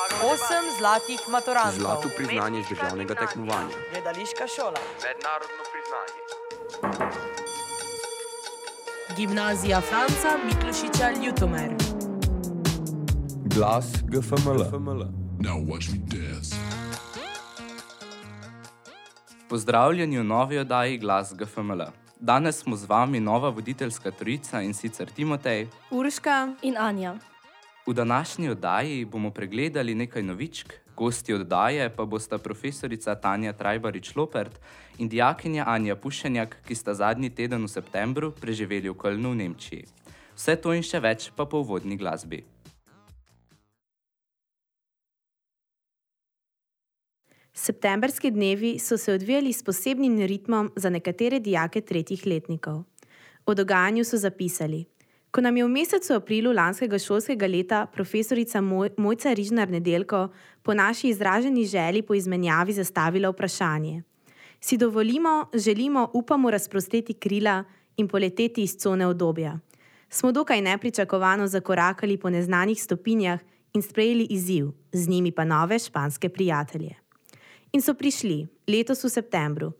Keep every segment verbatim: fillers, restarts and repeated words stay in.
Osem zlatih maturantov. Zlato priznanje z državnega tekmovanja. Gledališka šola. Mednarodno priznanje. Gimnazija Franca Miklošiča Ljutomer. Glas G F M L. Now watch me dance. Pozdravljeni v novi oddaji Glas G F M L. Danes smo z vami nova voditeljska trojica, in sicer Timotej, Urška in Anja. V današnji oddaji bomo pregledali nekaj novičk, gosti oddaje pa bosta profesorica Tanja Trajbarič-Lopert in dijakinja Anja Pušenjak, ki sta zadnji teden v septembru preživeli v Kölnu v Nemčiji. Vse to in še več pa po uvodni glasbi. Septemberski dnevi so se odvijali s posebnim ritmom za nekatere dijake tretjih letnikov. O dogajanju so zapisali: ko nam je v mesecu aprilu lanskega šolskega leta profesorica Moj, Mojca Rižnar-Nedeljko po naši izraženi želji po izmenjavi zastavila vprašanje. Si dovolimo, želimo, upamo razprostreti krila in poleteti iz cone udobja. Smo dokaj nepričakovano zakorakali po neznanih stopinjah in sprejeli izziv, z njimi pa nove španske prijatelje. In so prišli, letos v septembru.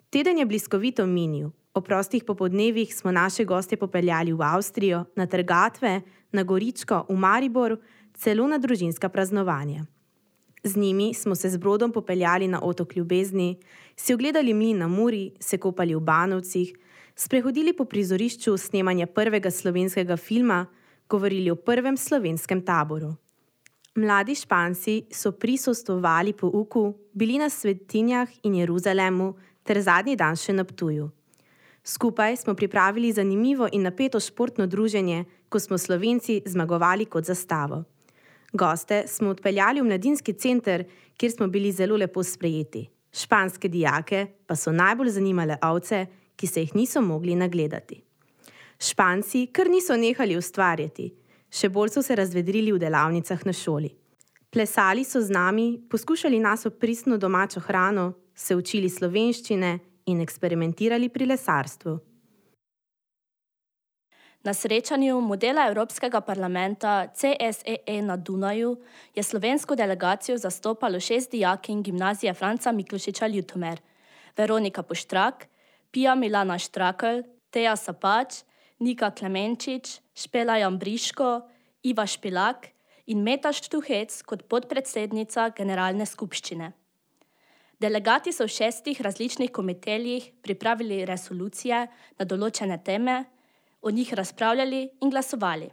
Teden je bliskovito minil. O prostih popodnevih smo naše goste popeljali v Avstrijo, na trgatve, na Goričko, v Maribor, celo na družinska praznovanja. Z njimi smo se z brodom popeljali na otok Ljubezni, si ogledali mlin na Muri, se kopali v Banovcih, sprehodili po prizorišču snemanja prvega slovenskega filma, govorili o prvem slovenskem taboru. Mladi Španci so prisostvovali pouku, bili na Svetinjah in Jeruzalemu ter zadnji dan še na Ptuju. Skupaj smo pripravili zanimivo in napeto športno druženje, ko smo Slovenci zmagovali kot zastavo. Goste smo odpeljali v mladinski center, kjer smo bili zelo lepo sprejeti. Španske dijake pa so najbolj zanimale ovce, ki se jih niso mogli nagledati. Španci kar niso nehali ustvarjati. Še bolj so se razvedrili v delavnicah na šoli. Plesali so z nami, poskušali nas pristno domačo hrano, se učili slovenščine in eksperimentirali pri lesarstvu. Na srečanju modela Evropskega parlamenta C S E E na Dunaju je slovensko delegacijo zastopalo šest dijakinj Gimnazije Franca Miklošiča Ljutomer: Veronika Poštrak, Pia Milana Štrakl, Teja Sapač, Nika Klemenčič, Špela Jambriško, Iva Špilak in Meta Štuhec kot podpredsednica generalne skupščine. Delegati so v šestih različnih komiteljih pripravili resolucije na določene teme, o njih razpravljali in glasovali.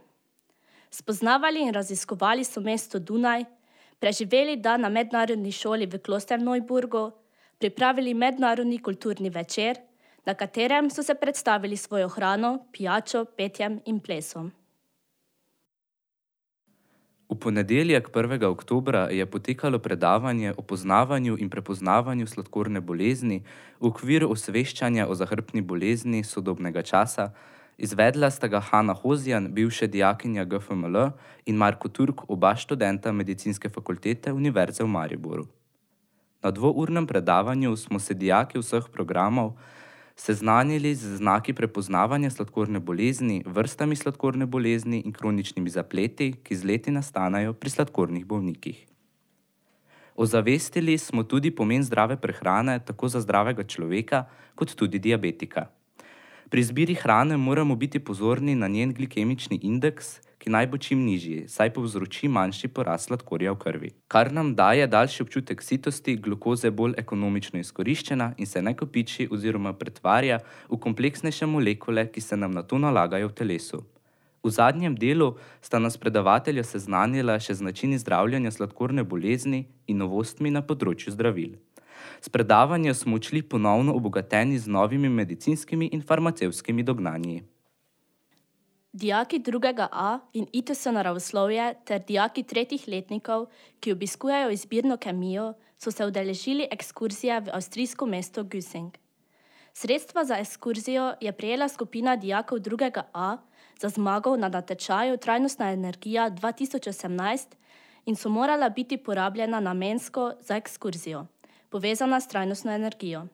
Spoznavali in raziskovali so mesto Dunaj, preživeli dan na mednarodni šoli v Klosterneuburgu, pripravili mednarodni kulturni večer, na katerem so se predstavili svojo hrano, pijačo, petjem in plesom. V ponedeljek prvega oktobra je potekalo predavanje o poznavanju in prepoznavanju sladkorne bolezni v okviru osveščanja o zahrbtni bolezni sodobnega časa. Izvedla sta ga Hanna Hozjan, bivša dijakinja G F M L, in Marko Turk, oba študenta Medicinske fakultete Univerze v Mariboru. Na dvournem predavanju smo se dijaki vseh programov seznanili z znaki prepoznavanja sladkorne bolezni, vrstami sladkorne bolezni in kroničnimi zapleti, ki z leti nastanejo pri sladkornih bolnikih. Ozavestili smo tudi pomen zdrave prehrane tako za zdravega človeka kot tudi diabetika. Pri izbiri hrane moramo biti pozorni na njen glikemični indeks, ki naj bo čim nižji, saj povzroči manjši porast sladkorja v krvi, kar nam daje daljši občutek sitosti, glukoze bolj ekonomično izkoriščena in se ne kopiči oziroma pretvarja v kompleksnejše molekule, ki se nam nato nalagajo v telesu. V zadnjem delu sta nas predavatelja seznanila še z načini zdravljenja sladkorne bolezni in novostmi na področju zdravil. S predavanja smo odšli ponovno obogateni z novimi medicinskimi in farmacevtskimi dognanji. Dijaki drugega A in I T S naravoslovje ter dijaki tretjih letnikov, ki obiskujejo izbirno kemijo, so se udeležili ekskurzije v avstrijsko mesto Güssing. Sredstva za ekskurzijo je prejela skupina dijakov drugega A za zmago na natečaju Trajnostna energija dva tisoč osemnajst in so morala biti porabljena namensko za ekskurzijo, povezana s trajnostno energijo.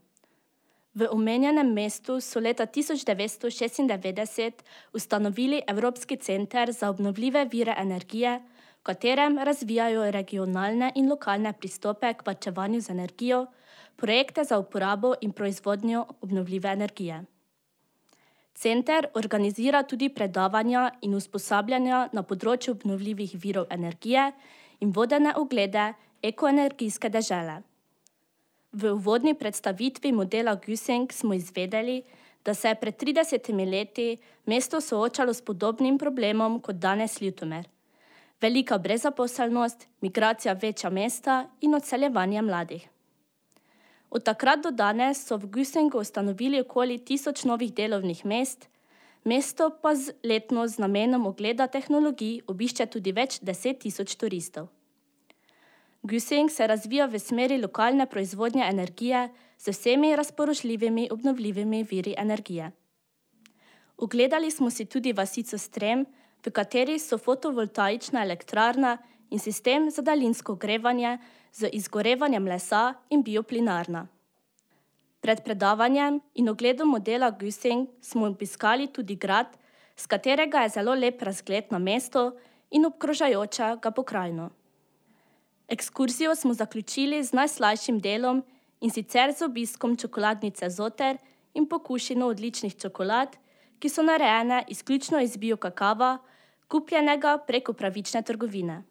V omenjenem mestu so leta tisoč devetsto šestindevetdeset ustanovili Evropski center za obnovljive vire energije katerem razvijajo regionalne in lokalne pristope k varčevanju z energijo, projekte za uporabo in proizvodnjo obnovljive energije. Center organizira tudi predavanja in usposabljanja na področju obnovljivih virov energije in vodene oglede ekoenergijske dežele. V uvodni predstavitvi modela Güssing smo izvedeli, da se je pred tridesetimi leti mesto soočalo s podobnim problemom kot danes Ljutomer. Velika brezposelnost, migracija v večja mesta in odseljevanje mladih. Od takrat do danes so v Güssingu ustanovili okoli tisoč novih delovnih mest, mesto pa z letno z namenom ogleda tehnologij obišče tudi več deset tisoč turistov. Güssing se razvija v smeri lokalne proizvodnje energije z vsemi razpoložljivimi obnovljivimi viri energije. Ogledali smo si tudi vasico Strem, v kateri so fotovoltaična elektrarna in sistem za daljinsko ogrevanje z izgorevanjem lesa in bioplinarna. Pred predavanjem in ogledom modela Güssing smo obiskali tudi grad, z katerega je zelo lep razgled na mesto in obkrožajočega pokrajino. Ekskurzijo smo zaključili z najslajšim delom in sicer z obiskom čokoladnice Zoter in pokušino odličnih čokolad, ki so narejene izključno iz biokakava, kupljenega preko pravične trgovine.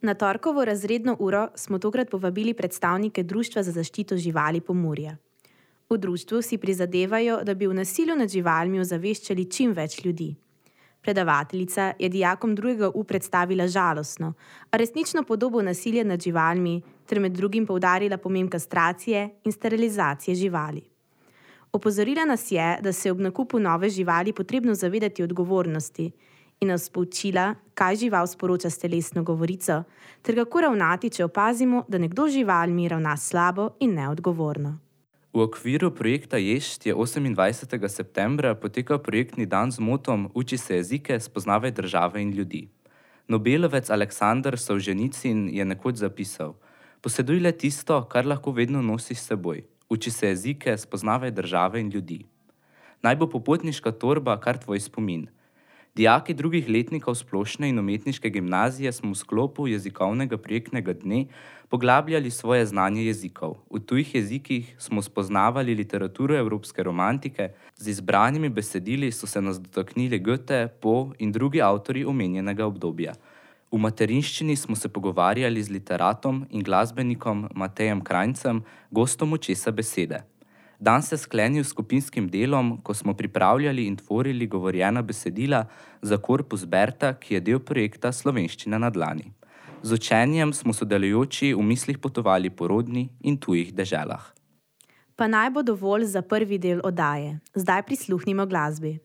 Na torkovo razredno uro smo tokrat povabili predstavnike Društva za zaščito živali Pomurje. V društvu si prizadevajo, da bi v nasilju nad živalmi ozaveščali čim več ljudi. Predavateljica je dijakom drugega U predstavila žalostno, a resnično podobo nasilja nad živalmi ter med drugim poudarila pomen kastracije in sterilizacije živali. Opozorila nas je, da se je ob nakupu nove živali potrebno zavedati odgovornosti in nas poučila, kaj žival sporoča s telesno govorico, ter kako ravnati, če opazimo, da nekdo z živalmi ravna slabo in neodgovorno. V okviru projekta Ješt je osemindvajsetega septembra potekal projektni dan z motom Uči se jezike, spoznavaj države in ljudi. Nobelovec Aleksandar Solženicin je nekoč zapisal: Poseduj le tisto, kar lahko vedno nosiš s seboj. Uči se jezike, spoznavaj države in ljudi. Naj bo popotniška torba kar tvoj spomin. Dijaki drugih letnikov splošne in umetniške gimnazije smo v sklopu jezikovnega projektnega dne poglabljali svoje znanje jezikov. V tujih jezikih smo spoznavali literaturo evropske romantike, z izbranimi besedili so se nas dotaknili Goethe, Poe in drugi avtorji omenjenega obdobja. V materinščini smo se pogovarjali z literatom in glasbenikom Matejem Krajncem, gostom Očesa besede. Dan se sklenil s skupinskim delom, ko smo pripravljali in tvorili govorjena besedila za korpus Berta, ki je del projekta Slovenščina na dlani. Z učenjem smo sodelujoči v mislih potovali po rodni in tujih deželah. Pa naj bo dovolj za prvi del oddaje. Zdaj prisluhnimo glasbi.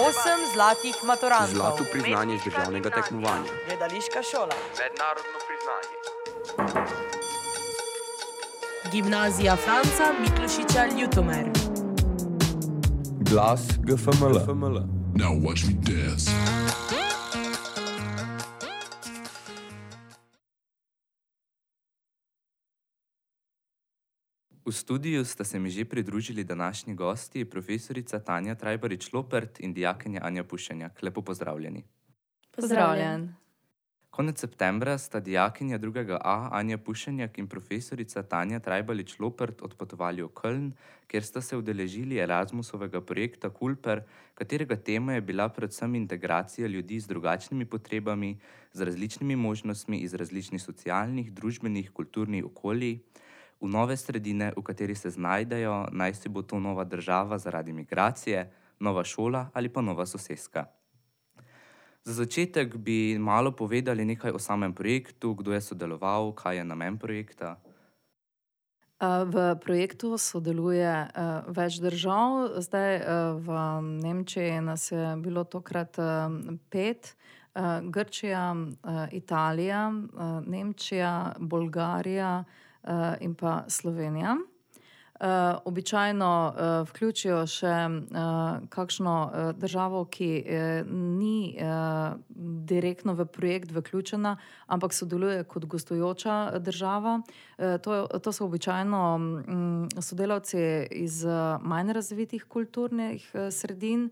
Osem zlatih maturantov. Zlato priznanje z državnega tekmovanja. Gledališka šola. Mednarodno priznanje. Gimnazija Franca Miklošiča Ljutomer. Glas G F M L. Now watch me dance. V studiu sta se mi že pridružili današnji gosti, profesorica Tanja Trajbarič-Lopert in dijakinja Anja Pušenjak. Lepo pozdravljeni. Pozdravljen. Konec septembra sta dijakinja drugega A Anja Pušenjak in profesorica Tanja Trajbarič-Lopert odpotovali v Köln, kjer sta se udeležili Erasmusovega projekta Kulper, katerega tema je bila predvsem integracija ljudi z drugačnimi potrebami, z različnimi možnostmi iz različnih socialnih, družbenih, kulturnih okolij, v nove sredine, v kateri se znajdejo, naj si bo to nova država zaradi migracije, nova šola ali pa nova soseska. Za začetek bi malo povedali nekaj o samem projektu, kdo je sodeloval, kaj je namen projekta. V projektu sodeluje več držav. Zdaj v Nemčiji nas je bilo tokrat pet. Grčija, Italija, Nemčija, Bolgarija in pa Slovenija. Uh, običajno uh, vključijo še uh, kakšno uh, državo, ki uh, ni uh, direktno v projekt vključena, ampak sodeluje kot gostujoča država. Uh, to, to so običajno um, sodelavci iz uh, manj razvitih kulturnih uh, sredin,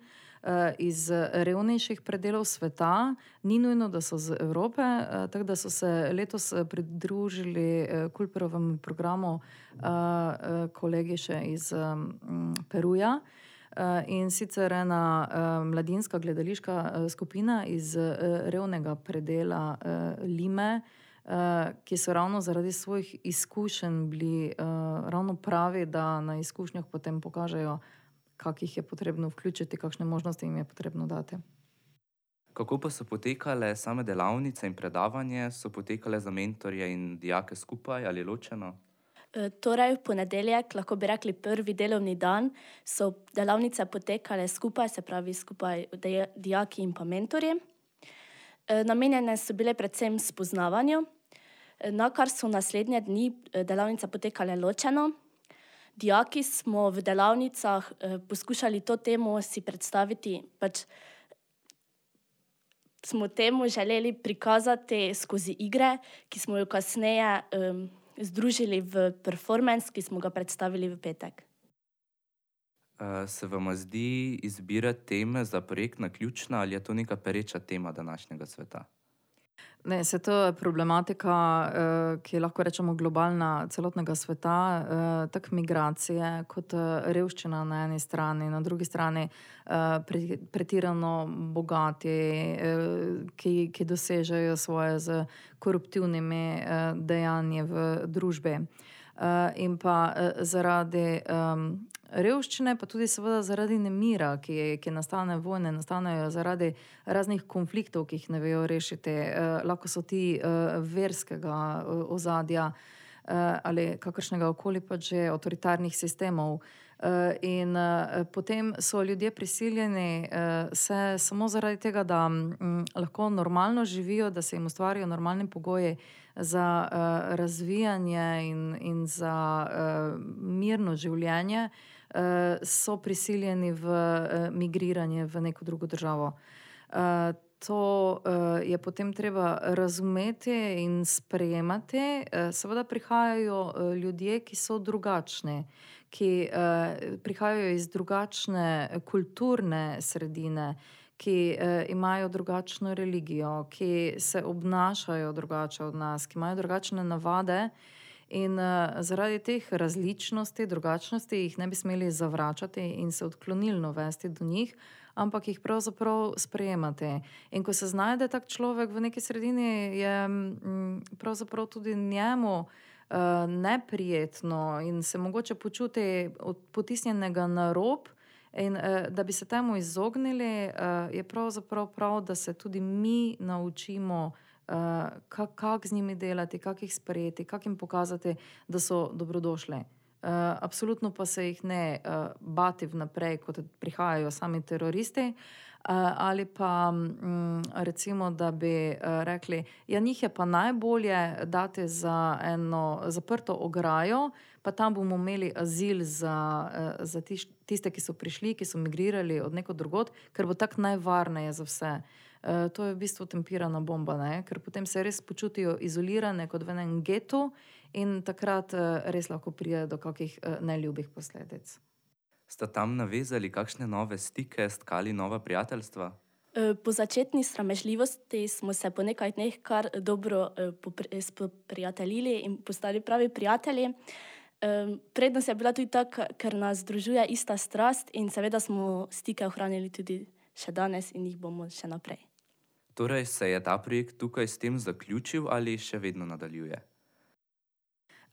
iz revnejših predelov sveta, ni nujno, da so z Evrope, tako da so se letos pridružili Kulperovemu programu kolegi še iz Peruja in sicer ena mladinska gledališka skupina iz revnega predela Lime, ki so ravno zaradi svojih izkušenj bili ravno pravi, da na izkušnjah potem pokažejo, kak jih je potrebno vključiti, kakšne možnosti jim je potrebno dati. Kako pa so potekale same delavnice in predavanje? So potekale za mentorje in dijake skupaj ali ločeno? E, torej, v ponedeljek, lahko bi rekli prvi delovni dan, so delavnice potekale skupaj, se pravi skupaj dijaki in pa mentorji. E, namenjene so bile predvsem spoznavanju, e, na kar so naslednje dni delavnice potekale ločeno. Dijaki smo v delavnicah eh, poskušali to temo si predstaviti, pač smo temu želeli prikazati skozi igre, ki smo jo kasneje eh, združili v performance, ki smo ga predstavili v petek. Uh, se vam zdi izbira teme za projekt naključna ali je to neka pereča tema današnjega sveta? Ne, se to je problematika, ki je lahko rečemo globalna celotnega sveta, tako migracije kot revščina na eni strani, na drugi strani pretirano bogati, ki, ki dosežejo svoje z koruptivnimi dejanji v družbi. In pa zaradi revščine, pa tudi seveda zaradi nemira, ki, ki nastane vojne, nastanejo zaradi raznih konfliktov, ki jih ne vejo rešiti. Eh, lahko so ti eh, verskega eh, ozadja eh, ali kakršnega okoli pa že avtoritarnih sistemov. Eh, in eh, potem so ljudje prisiljeni eh, se samo zaradi tega, da hm, lahko normalno živijo, da se jim ustvarijo normalni pogoji za uh, razvijanje in, in za uh, mirno življenje, uh, so prisiljeni v uh, migriranje v neko drugo državo. Uh, to uh, je potem treba razumeti in sprejemati. Uh, seveda prihajajo uh, ljudje, ki so drugačni, ki uh, prihajajo iz drugačne kulturne sredine, ki eh, imajo drugačno religijo, ki se obnašajo drugače od nas, ki imajo drugačne navade in eh, zaradi teh različnosti, drugačnosti jih ne bi smeli zavračati in se odklonilno vesti do njih, ampak jih pravzaprav sprejemati. In ko se znajde tak človek v neki sredini, je m, pravzaprav tudi njemu eh, neprijetno in se mogoče počuti potisnjenega na rob. In uh, da bi se temu izognili, uh, je pravzaprav prav, da se tudi mi naučimo, uh, kako kak z njimi delati, kako jih sprejeti, kako jim pokazati, da so dobrodošli. Uh, absolutno pa se jih ne uh, bati vnaprej, kot prihajajo sami teroristi, uh, ali pa um, recimo, da bi uh, rekli, ja, njih je pa najbolje dati za eno zaprto ograjo, pa tam bomo imeli azil za, uh, za tiš, tiste, ki so prišli, ki so migrirali od nekod drugod, ker bo tako najvarneje za vse. Uh, to je v bistvu tempirana bomba, ne? Ker potem se res počutijo izolirane kot v enem getu in takrat uh, res lahko pride do kakih uh, neljubih posledic. Sta tam navezali kakšne nove stike, stkali nova prijateljstva? Po začetni sramežljivosti smo se po nekaj dneh kar dobro spoprijateljili in postali pravi prijatelji. Prednost je bila tudi taka, ker nas združuje ista strast in seveda smo stike ohranili tudi še danes in jih bomo še naprej. Torej se je ta projekt tukaj s tem zaključil ali še vedno nadaljuje?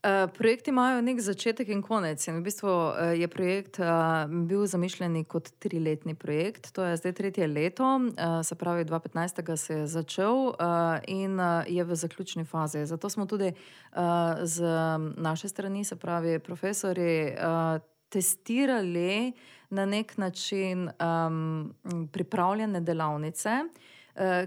Uh, projekti imajo nek začetek in konec. In v bistvu uh, je projekt uh, bil zamišljen kot triletni projekt. To je zdaj tretje leto, uh, se pravi dva tisoč petnajst se je začel uh, in uh, je v zaključni fazi. Zato smo tudi uh, z naše strani, se pravi profesori, uh, testirali na nek način um, pripravljene delavnice,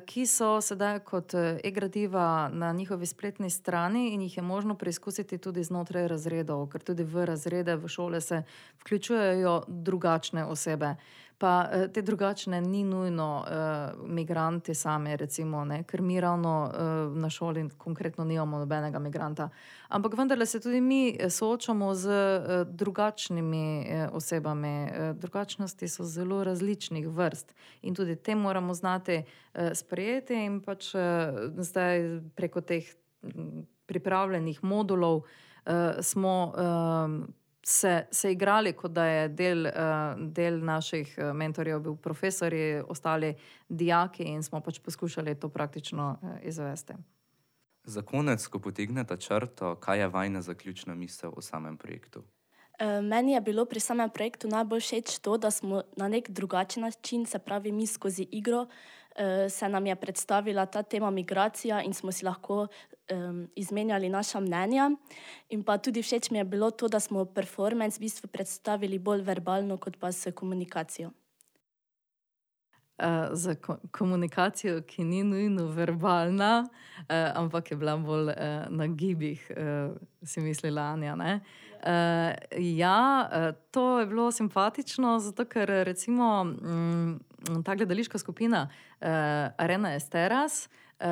ki so sedaj kot e-gradiva na njihovi spletni strani in jih je možno preizkusiti tudi znotraj razredov, ker tudi v razrede, v šole se vključujejo drugačne osebe. Pa te drugačne ni nujno uh, migranti sami, recimo, ne? Ker mi ravno uh, na šoli konkretno nimamo nobenega migranta. Ampak vendarle se tudi mi soočamo z uh, drugačnimi uh, osebami. Uh, drugačnosti so zelo različnih vrst in tudi te moramo znati uh, sprejeti in pač uh, zdaj preko teh m, pripravljenih modulov uh, smo uh, Se, se igrali, kot da je del, uh, del naših uh, mentorjev bil profesori, ostali dijaki in smo pač poskušali to praktično uh, izvesti. Za konec, ko potegnete črto, kaj je vajna zaključna misel o samem projektu? E, meni je bilo pri samem projektu najbolj všeč to, da smo na nek drugačen način, se pravi mi skozi igro, e, se nam je predstavila ta tema migracija in smo si lahko Um, izmenjali naša mnenja. In pa tudi všeč mi je bilo to, da smo performance v bistvu predstavili bolj verbalno, kot pa s komunikacijo. Uh, za ko komunikacijo, ki ni nujno verbalna, uh, ampak je bila bolj uh, na gibih, uh, si mislila Anja, ne? Uh, ja, uh, to je bilo simpatično, zato ker recimo um, ta gledališka skupina uh, Arena Esteras Uh,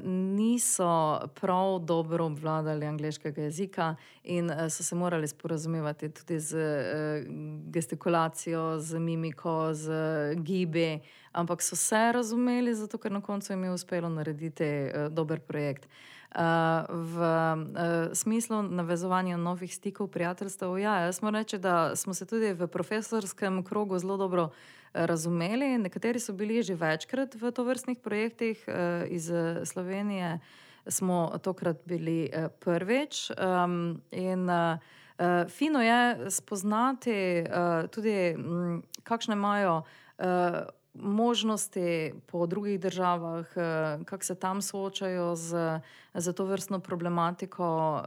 niso prav dobro obvladali angleškega jezika in uh, so se morali sporazumevati tudi z uh, gestikulacijo, z mimiko, z uh, gibi, ampak so se razumeli, zato ker na koncu jim je uspelo narediti uh, dober projekt. Uh, v uh, smislu navezovanja novih stikov, prijateljstev, ja, jaz moram reči, da smo se tudi v profesorskem krogu zelo dobro razumeli. Nekateri so bili že večkrat v tovrstnih projektih, iz Slovenije smo tokrat bili prvič. In fino je spoznati tudi, kakšne imajo možnosti po drugih državah, kako se tam soočajo z, z to vrstno problematiko,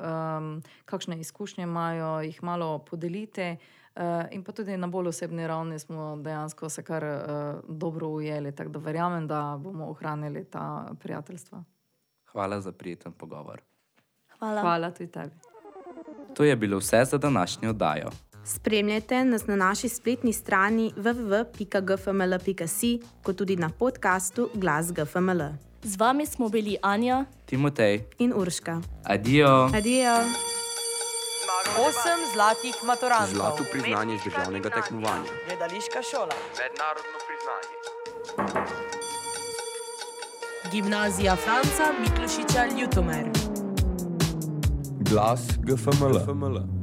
kakšne izkušnje imajo, jih malo podeliti. Uh, in pa tudi na bolj osebni ravni smo dejansko se kar uh, dobro ujeli, tako da verjamem, da bomo ohranili ta prijateljstva. Hvala za prijeten pogovor. Hvala. Hvala tudi tebi. To je bilo vse za današnjo oddajo. Spremljajte nas na naši spletni strani w w w pika g f m l pika si, kot tudi na podkastu Glas G F M L. Z vami smo bili Anja, Timotej in Urška. Adijo. Adijo. Osem zlatih maturantov. Zlato priznanje z državnega tekmovanja. Gledališka šola. Mednarodno priznanje. Gimnazija Franca Miklošiča Ljutomer. Glas G F M L.